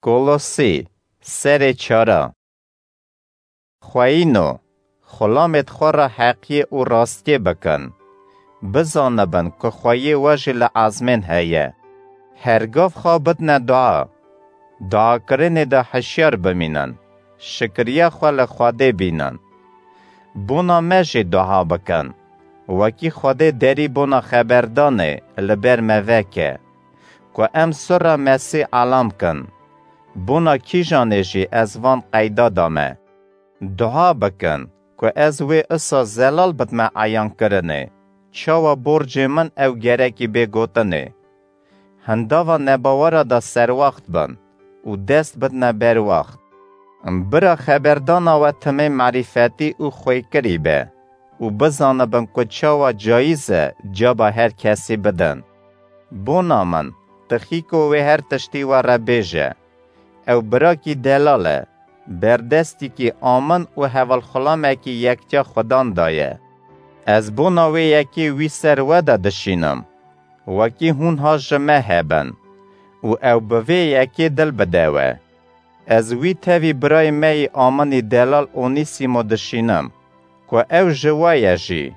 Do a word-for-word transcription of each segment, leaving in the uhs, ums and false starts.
Kolosî, serê çara. Xweyîno, xulamêd xwe re heqiyê û rastiyê bikin. Bizanibin ku xweyê we jî li ezmên heye. Her gav xwe bidne dua. Duakirinê de hişyar bimînin. Şikiriya xwe li Xwedê bînin. Bona me jî dua bikin. Wekî Xwedê derî bona xeberdanê li ber me veke, ku em sirra Mesîh elam kin. Bona kîjanê jî ez van qeyda dame. Dua bikin ku ez wê isa zelal bidme eyankirinê, çawa borcê min ew gerekî bê gotinê. Hindava nebawera de serwext bin û dest bidne berwext. Bira xeberdana we timê merîfetî û xwêkirî be û bizanibin ku çawa cayîz e caba her kesî bidin. Bona min, Tixîko wê her tiştî we re bêje. Ew birakî delal e, berdestîkî amin û hevalxulamekî yektiya Xudan daye. Ez bona wê yekê wî ser we de dişînim, wekî hûn ha ji me hebin û ew bi vê yekê dil bide we. Ez wî tevî birayê me yî aminî delal Onîsîmo dişînim, ku ew ji we ye jî.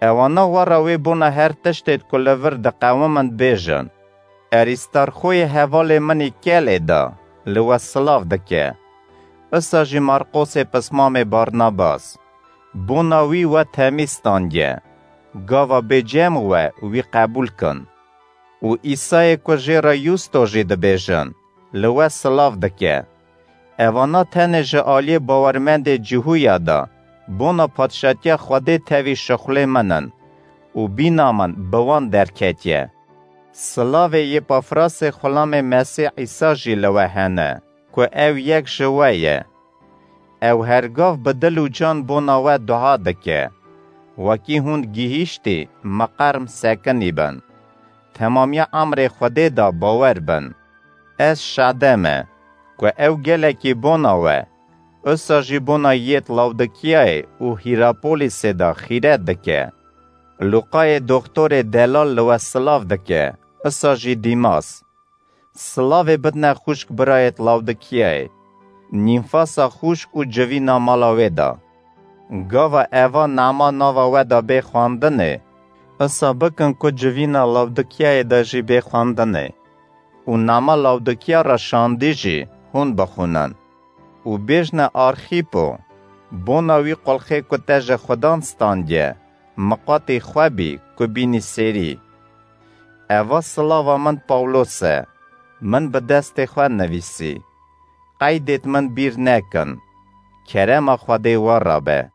Ewana we re wê bona her tiştêd ku li vir diqewimin bêjin. Erîstarxoyê hevalê min î Kelê de li we silav dike. Isa jî Marqosê pismamê Barnabas. Bona wî we temî standiye. Gava bê cem we wî qebûl kin. Û Îsayê ku jê re Yusto jî dibêjin, li we silav dike. Evana tenê ji aliyê bawermendê Cihûya de bona padşatiya Xwedê tevî şixulê min in û bîna min bi wan derketiye. Silavê Yêpafrasê xulamê Mesîh Îsa jî li we hene, ku ew yek ji we ye. Ew her gav bi dil û can bona we dua dike. Wekî hûn gihîştî, miqerm sekinî bin. Temamiya emrê Xwedê de bawer bin. Ez şade me, ku ew gelekî bona we, usa jî bona yêt Lawdikiyayê û Hîrapolîsê de xîret dike. Lûqayê doxtorê delal li we silav dike, usa jî Dîmas. Silavê bidne xwişk birayêt Lawdikiyayê, Nîmfasa xwişk û civîna mala wê de. Gava eva nama nava we de bê xwendinê, usa bikin ku civîna Lawdikiyayê de jî bê xwendinê. Û nama Lawdikiya re şandî jî hûn bixwînin. Û bêjne Arxîpo, bona wî qulxê ku te ji Xudan standiye, miqatî xwe bî ku bînî sêrî. Eva silava min Pawlos e, min bi destê xwe nivîsî. Qeydêt min bîr nekin. Kerema Xwedê we re be.